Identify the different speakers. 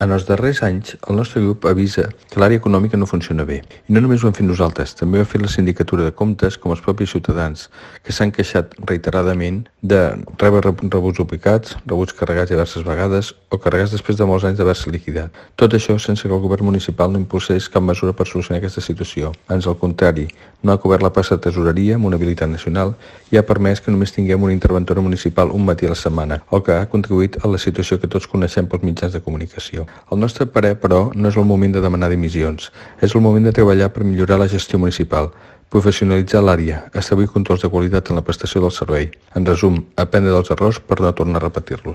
Speaker 1: En els darrers anys, el nostre grup avisa que l'àrea econòmica no funciona bé. I no només ho hem fet nosaltres, també ho ha fet la Sindicatura de Comptes com els propis ciutadans, que s'han queixat reiteradament de rebre rebuts duplicats, rebuts carregats diverses vegades o carregats després de molts anys d'haver-se liquidat. Tot això sense que el govern municipal no impulsés cap mesura per solucionar aquesta situació. Ans al contrari, no ha cobert la plaça de tesoreria amb una habilitat nacional i ha permès que només tinguem una interventora municipal un matí a la setmana, el que ha contribuït a la situació que tots coneixem pels mitjans de comunicació. Al nostre parer, però, no és el moment de demanar dimissions. És el moment de treballar per millorar la gestió municipal, professionalitzar l'àrea, establir controls de qualitat en la prestació del servei. En resum, aprendre dels errors per no tornar a repetir-los.